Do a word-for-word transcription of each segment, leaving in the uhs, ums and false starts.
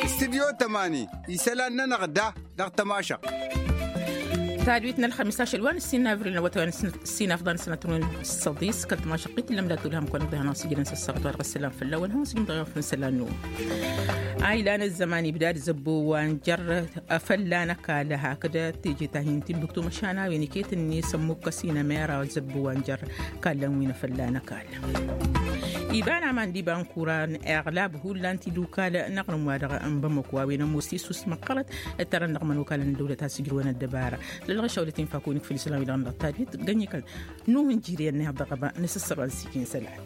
Studyo tămani isălan-nănăɣ da dăɣ-tămašăɣt. Tadwit n-ălxămis ašăl wa n-ǝssin n-avril n-awătay wa n-ǝssin afḍan sănătun săḍis kăl-tămašăɣt-i tǝllăm dat-ulhăm kăwăn-ăḍḍihan wa s-ijrăn s-ăssaɣăt wa dăɣ-ăssălam fălla-wăn hawăn s-ijrăn dăɣ-i wa n-sălan-năwăn. A ilan ăzzăman ibdad zăbbo wa n-jăr fălla n-ăkall hakd teje tahin timbuktu măšan a-wen iket-net ămmukkăs-in ămera zăbbo wa n-jăr kallăn wi n-afălla n-ăkall. Iba n-aman d-iba n-kura n-iɣlab hullan tidukal n-aɣrǝm wa dăɣ-n bamăko a-wen ămoos tisus măqqărăt ǝttărăn dăɣ-imănokalăn n-dăwlăt a-s ǝjrǝwăn ăddăbara lălɣăšawlăt infa kăwăn-ikfǝl isălan wi-dăɣ n-dăɣ tadwit gănnikăl nuh n-jiri ănniha dăɣ-ăba nǝsǝssăr wa n-sikin isălan.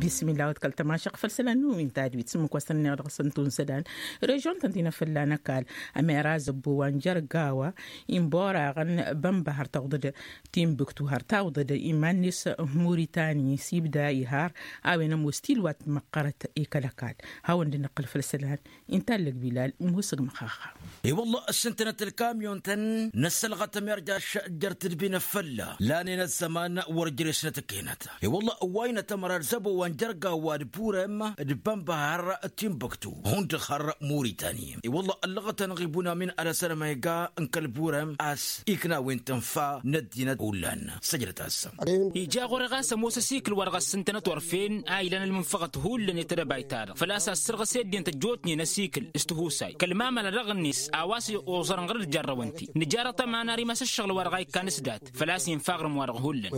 Bismillah wa t-kăl-tămašăɣ făll-isălan nuh wi n-tadwit s-ǝmmǝk wa s-tăn-ănniha dăɣ-săn tunsădan režion-tăn-ti n-afălla n-ăkall ămera zăbbo wa n-jărgawa inboraɣăn bănba har tawḍăd timbuktu har tawḍăd iman-net muritani s-ibda ihar a-wen ămoos tilwat măqqărăt i-kăl-ăkall. Hawăn-dd-năqqǝl făll-isălan inta ăllăg bilal musǝg măxaxa. I-wălla ăssintănăt ălkamyon-tăn n-ăssălɣăt ămirjaš jer-tǝdbi n-afălla lanen ăzzăman wăr jere-s n-atăkkenăt. I-wălla ăwway n-atămăra d-zăbo wa n-jărgawa d-burem d-bănbăhăr timbuktu hundăɣ har muritani i-wălla ăllăɣăt-anăɣ ibunam-in alăsăn ămayga n-kăl-burem a-s ikna a-wen tǝnfa n-ăddinăt hullan. Săjdăt-as. Ija ɣur-e ɣas ămoos ăsikǝl wa dăɣ-ăssintănăt orfen a ilan ălmǝnfăɣăt hullan i-tedăbayt-ta-dăɣ făl-a-s assărɣǝs i-ăddinăt ăjjootnen ăsikǝl s-tihusay kăl-mamăla dăɣ-net a-wa s-oẓărăn ɣur-dd jarrăwăn-t-i nǝjar ăṭṭăma n-ar imas ǝššăɣǝl wa dăɣ-a ikkan s-dat făl-a-s infa aɣrǝm-wa-dăɣ hullan.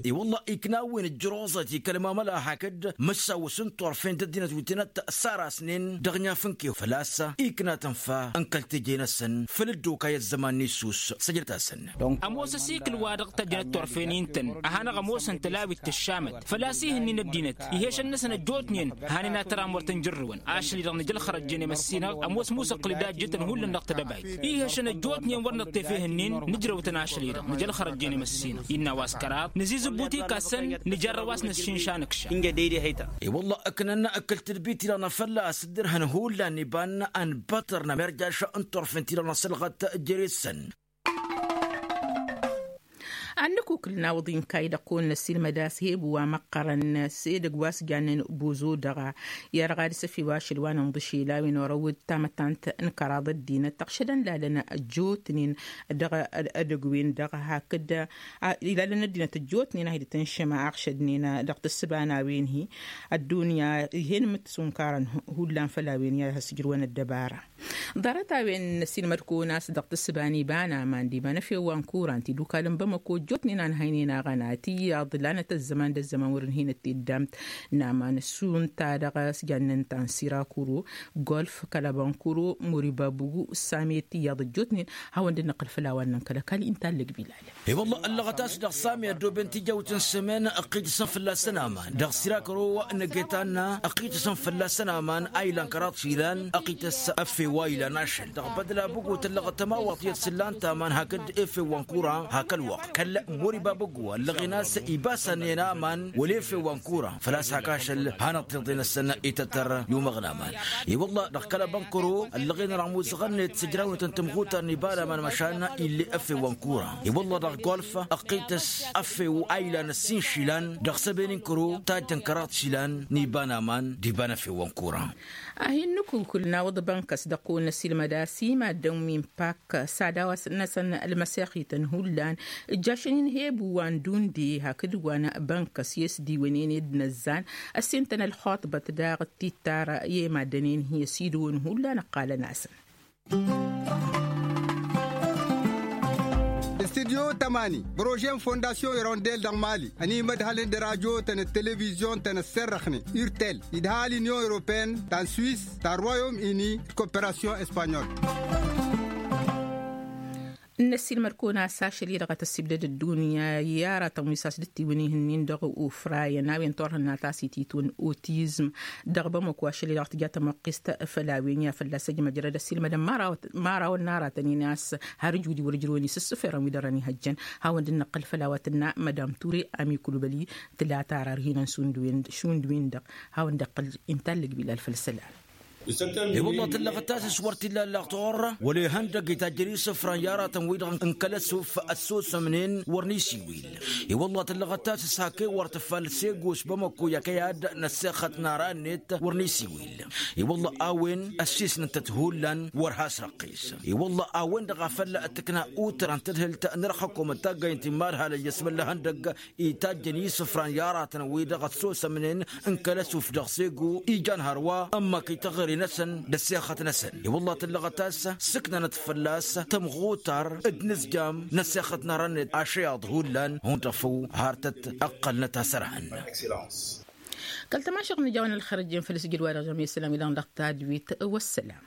I-wălla ikna a-wen ǝjjăr oẓăt i-kăl-mamăla hakd mǝssawăs n-turfen d-ăddinăt wi tănăt sarasnen dăɣ-inyaf n-kef făl-a-s ikna tǝnfa n-kăl-teje-năsăn făll-dd-okay ăzzăman n-issus. Săjdăt-asăn. Ămoos ăsikǝl-wa-dăɣ tăjnăt turfen-i ǝntăn a hanăɣ-ămoosăn tălawit tǝššamăt făl-a-s ih'-ǝnnin ăddinăt ihešăn-năsăn ăjjootnen hanen ad-tăram wăr tăn-jărrǝwăn ašăl-i-dăɣ nǝj ălxărăjjen i-măssinăɣ ămoos musăqqǝl-dd a ǝjjǝtăn hullan dăɣ-tedăbayt. Ihešăn ăjjootnen wăr năṭṭef ih'-ǝnnin nǝjrăw-tăn ašăl-i-dăɣ nǝj ălxărăjjen i-măssinăɣ innă a-wa s-kăraḍ nǝzizǝbbut ikassăn nǝjarrăw a-s năsšinša nǝkša. I-wălla ǝknăn ǝkkǝl tǝdbit-i-dăɣ n-afălla a-s dd-ǝrhăn hullan iba n-a n-băṭṭăr n-amerjaš n-turfen-ti-dăɣ n-asălɣăt jere-săn. Ad-nǝkukǝl n-awǝḍin kayy-dăɣ kăwăn-năssiilmăd a-s heb wa măqqărăn s-edăgg wa s-jannen bozo dăɣ-a i-ad-dăɣ ad-săfi wa ašăl wa n-inḍǝšel a-wen orăwăd tamăttant n-kăraḍ ăddinăt tăɣšădăn lalăn ăjjootnen dăɣ-edăgg-wen-dăɣ hakd ilalăn ăddinăt ăjjootnen a hi-dd-tǝnšăm a ăɣšădnen dăɣ-tǝssǝba n-a-wen-hi. Ăddunya ih'-en mǝtsunkarăn hullan făll-a-wen i-ad-has-ǝjrǝwăn ăddăbara. Ḍarăt-a-wen n-ăsiilmăd-kăwăn a-s dăɣ-tǝssǝba n-iba n-aman d-iba n-efew wa n-kuran tidukal n-bamăko ăjjootnen a ǝnhăynen aɣăna tiyyăḍ lanăt ăzzăman d-ăzzăman wăr-ǝnhǝynăt tiddamt n-aman s-unta dăɣ-s jannen ta n-sirakuro golf kăl-abănkuro muribabugu s-same tiyyăḍ ăjjootnen. Hawăn-dd-năqqǝl făll-a-wa ǝnnăn kăl-ăkall inta ăllăg bilal. I-wălla ăllăɣăt a-s dăɣ-sami ăddooben tijawt n-sămen ăqqităsăn fălla-săn aman dăɣ-sirakăro n-egetanna ăqqităsăn fălla-săn aman a ilan kăraḍ išilan ăqqităs efew wa ilan ašăl dăɣ-bădla băggo tăllăɣăt tămawaḍt iyyăt s-ǝllan-t aman hakd efew wa n-kura hak ălwăqq kăl-muriba băggo ăllăɣen a-s ibasannen aman wăla efew wa n-kura făl-a-s hak ašăl hanăɣ-tiḍe-năsăn itătăr i-umăɣ n-aman. I-wălla dăɣ-kăl-abănkăro ăllăɣen-anăɣ muzăɣăn-net s-ǝjrawnătăn tămɣutar n-iba n-aman măšan ill'-e efew wa n-kura i-wălla dăɣ-golf ăqqităs efew a ilan ăssin išilan dăɣ-săben n-kăro tajjăn kăraḍ išilan n-iba n-aman d-iba n-efew wa n-kura. A hin-nǝkukǝl n-awǝḍ bănkăs dăɣ-kăwăn-năsilmăd a-s i-maddǝn wi n-pak s-ad-a-wa s-năsăn ălmăsexităn hullan ǝjjašăn-in hebu wa n-dunde hakd wa n-bănkăs i-s diwǝnen i-dd-năzzan ăssintăn ălxuṭbăt daɣ d-tittar i-maddǝn-en hi-ăsidǝwăn hullan ǝqqalăn-asăn. Studyo tămani prože n-fondasyon irondel dăɣ-mali ănimădhălăn d-radyo-tăn d-televizyon-tăn ăsserrăxnen urtel idha l-inyon europeyăn ta n-swis ta n-royom ini d-koperasyon espanyol. N-ăssiilmăd-kăwăn a-s ašăl-i-dăɣ a tăssibdăd ăddunya i-aratăn wi s-asdǝttiwăn ihǝnnin dăɣ-ufrayăn a-wen turhǝnna ta s-ititwăn otizm dăɣ-bamăko ašăl-i-dăɣ tǝja tămăqqist făll-a-wen i-ad-fălla-s ăjmăjrăd ăssiilmădăn imărawăn n-aratăn-in a-s har ǝjud i-wăr-ǝjrăwăn isǝssǝferăn wi dărăn ihăjjăn. Hawăn-dd-năqqǝl făll-a-wa tǝnna madam ture amikulbăli tǝla tara ărhinăn šund-win-dăɣ. Hawăn-dd-iqqǝl inta ăllăg bilal făll-isălan. I-wălla tǝllăɣăt tasǝs wăr t-illa ǝllaɣ toɣăr wăla ihăndăgg itajjăn isǝfran i-aratăn-wi-dăɣ n-kăl-ăsuf ăssosămnen wăr n-isiwil. I-wălla tǝllăɣăt tasǝs hak'-e wăr tǝffal sego s-bamăkko i-akăy ad-năssexăt n-ara-net wăr n-isiwil. I-wălla a-wen ăssiisnăt-tăt hullan wăr has-răqqis. I-wălla a-wen-dăɣ a făl tǝkna utran tadhǝlt n-ărxăkomăt taggăyăn timad halăyya s-măllăhăn dăgg-itajjăn isǝfran i-aratăn-wi-dăɣ ăssosămnen n-kăl-ăsuf dăɣ-sego ijan hărwa ămmăk ităɣri-năsăn d-ăssexăt-năsăn. I-wălla tǝllăɣăt a-s sǝknanăt fălla-s tămɣutar d-inǝzjam n-ăssexăt n-arănet ašăyaḍ hullan hundăɣ făw har tăt-ăqqălnăt asărhăn. Kăl-tămašăɣt n-ija a-wen ălxărăjjen făll-sǝjǝd wa dăɣ-jămesălam i-dăɣ n-dăɣ-tadwit. Wăssălam.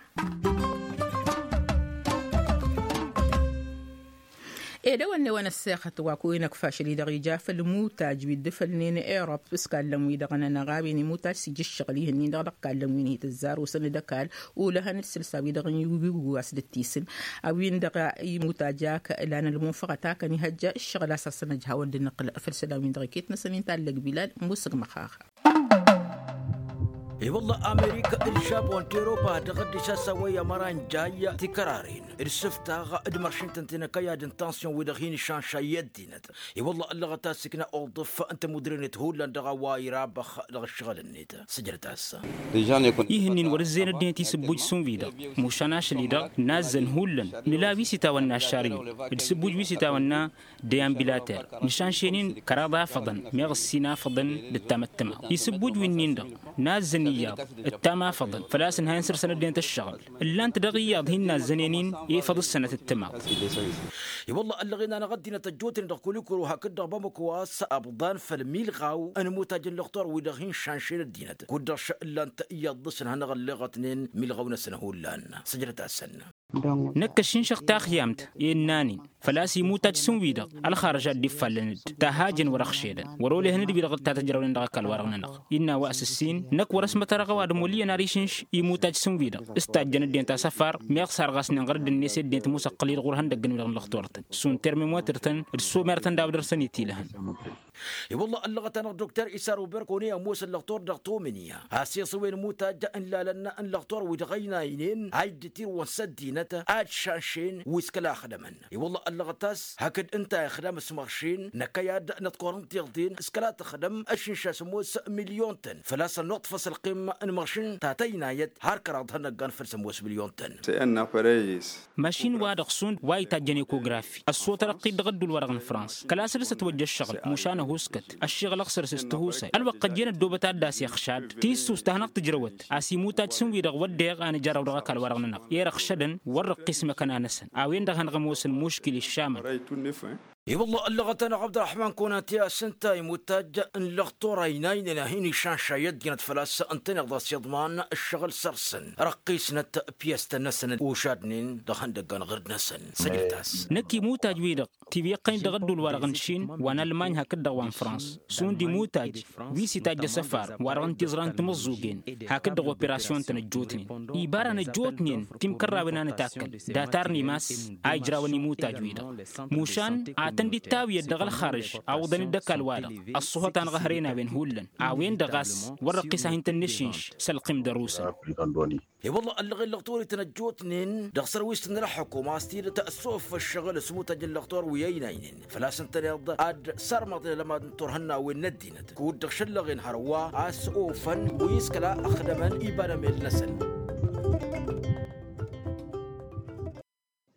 Ed ewănne wa n-ăssexăt wa kăwăyăn ăkfašăl-i-dăɣ ija făll-imutaj wi dd-fălnen erop s-kallăn-wi-dăɣ n-anăɣ a-wen imutaj s-ija ǝššăɣǝl ihǝnnin-dăɣ dăɣ-kallăn wi n-itǝzzar osăn d-ăkall ulăhăn d-sǝlsa-wi-dăɣ n-iwǝggu a-s dd-tisǝn. A-wen-dăɣ imutaj ak ǝlan ălmunfăɣăt akăn ihăjja ǝššăɣǝl a-s ad-săn-ăj hawăn-dd-nǝqqǝl făll-isălan-win-dăɣ iket-năsăn inta ăllăg bilal musǝgmăx-aɣ. I-wălla amerika d-žapon teropa dăɣ-dd-isasawăy ămăra n-jay tikărarin d-sǝftaɣ d-măršǝn-tăn tinăkăyad n-tansyon-wi-dăɣ hin-išanšay i-ăddinăt. I-wălla ăllăɣăt a-s ikna oḍǝf n-tămudre-net hullan dăɣ-a-wa irabăx dăɣ-ǝššăɣǝl-net. Sǝjrăt-as. Ihǝnnin wăr-ǝzzeyăn ăddinăt isǝbbuj s-unvi-dăɣ mušan ašăl-i-dăɣ nazzăn hullan nǝla wi s-itawănna aššariyun d-isǝbbuj wi s-itawănna deyan bilater. Nǝšanšen-in kăraḍ afăḍăn meɣ ǝssin afăḍăn d-ǝttam ăttămaḍ isǝbbuj wi-nin-dăɣ nazzăn iyyăḍ ǝttam afăḍăn făl-a-s ǝnhayăn săr-săn ăddinăt ǝššăɣǝl. Ǝllan-t dăɣ-iyyăḍ hin-nazzănen-in efăḍ ǝssănăt ǝttămaḍ. I-wălla ăllăɣen-anăɣ ăddinăt ăjjootnen dăɣ-kulikuro hakd-dăɣ bamăko a-s ăbḍan făll-milɣaw n-imutaj n-lăxtor-wi-dăɣ hin-šanšen ăddinăt kud-dăɣ š-ǝllan-t iyyăḍ dăɣ-săn hanăɣ-ălleɣătnen milɣaw-năsăn hullan. Sǝjrăt-asăn. Năkk ăššinšăɣ taxyamt i-ǝnnan-in făl-a-s imutaj s-ǝnwi-dăɣ ălxarăž a dd-iffallăn-dd tahajăn wăr-ăxšedăn wăr-ol ehăn d-wi-dăɣ dd-tatăjrăwnen dăɣ-ăkall-wa-dăɣ-nănăɣ. Innă a-wa s-ǝssin năkk wăr-ăsmătărăɣ ăwadǝm wăl' iyyăn ad-išǝnš imutaj s-ǝnwi-dăɣ s-tajjăn ăddinăt asăfar meɣ sarɣasnen ɣur-dd-net i-ăddinăt musăqqǝl-i-dăɣ ɣur-ihăndăgg-năwăn dăɣ-nǝllăxtor-tăn s-unterme motăr-tăn d-somer-tăn d-a-wa dăr-săn itilăhăn. I-wălla ăllăɣăt-anăɣ dokter isar uberkone ămoos ăllăxtor dăɣ-tomǝnǝya a-s iṣǝwen imutaj n-ilalăn n-lăxtor-wi-dăɣ ăynaynen a iddǝtirwăn s-ăddinăt ad-šanšen wi s-kăla ăxdămăn. I-wălla ăllăɣăt a-s hakd ǝnta ixdam s-măɣšin năkkăy ad-năḍkor n-tiɣḍin s-kăla tăxdăm ăššǝnša sămoos milyon-tăn făl-a-s ănnuḍfăs ălqim n-măɣšin ta tăynayăt har kăraḍ ihănăggan făll-sămoos milyon-tăn. Mašin-wa-dăɣ šund wa itajjăn ekografi ăssotărăɣ-t-dd dăɣ-ădduul-wa-dăɣ n-frans kăla săr-s ătwăjja ăššăɣǝl mušan ăhuskăt ăššiɣǝl ăɣsăr-s s-tihusay ălwăqq ăjjeen ăddoobăt ad-dd-as-ixšad. Tissust ta hanăɣ-tǝjrăwăt a-s imut ad-sǝnwi dăɣ-wădden a nǝjarrăw dăɣ-ăkall-wa-dăɣ-nănăɣ i-dăɣ šădăn wăr-răqqis măkăna-năsăn a-wen-dăɣ a hanăɣ-ămoosăn muškil iššamăn. I-wălla ăllăɣăt-anăɣ abd-ălrăḥman konate a-s ǝnta imuttaj n-lăxtor a ăynaynen a hin-išanšay ăddinăt făl-a-s ǝntăneḍ a-s iḍman ǝššăɣǝl săr-săn răqqisnăt pyastăn-năsăn ušadnen dăɣ-ihăndăggan ɣǝrd-năsăn. Săjdăt-as. Năkk imutaj-wi-dăɣ tiwǝyyăɣ-tăn-dd dăɣ-ădduul-wa-dăɣ n-išin wa n-almany hakd-dăɣ wa n-frans šund imutaj wi s-itajj asăfar wa-dăɣ n-tiẓra n-timǝẓẓugen hakd-dăɣ operasyon-tăn ăjjootnen iba ra n-ăjjootnen timkărrawen a nǝtakkăl datar n-imas a ijrawăn imutaj-wi-dăɣ. Mušan ad-tăn-dd-ittawǝyăd dăɣ-ălxarǝž awǝḍăn-dd ăkall-wa-dăɣ ăṣṣuhăt-anăɣ ăhrăyăn a-wen hullan a-wen-dăɣ a-s wăr-răqqis a hin-tăn-nǝššǝnš s-ălqim d-ărusăn. I-wălla ăllăɣen lăxtor-i tăn-ăjjootnen dăɣ-sărwist n-ălxukum a-s tidǝt s-offa ăššăɣǝl s-imutaj n-lăxtor wi ăynaynen făl-a-s ǝntăneḍ ad-sărmăḍen ălămad n-turhǝnnawen n-ăddinăt kud-dăɣ šăllăɣen hărwa a-s ofăn wi s-kăla ăxdămăn iba d-emel-năsăn.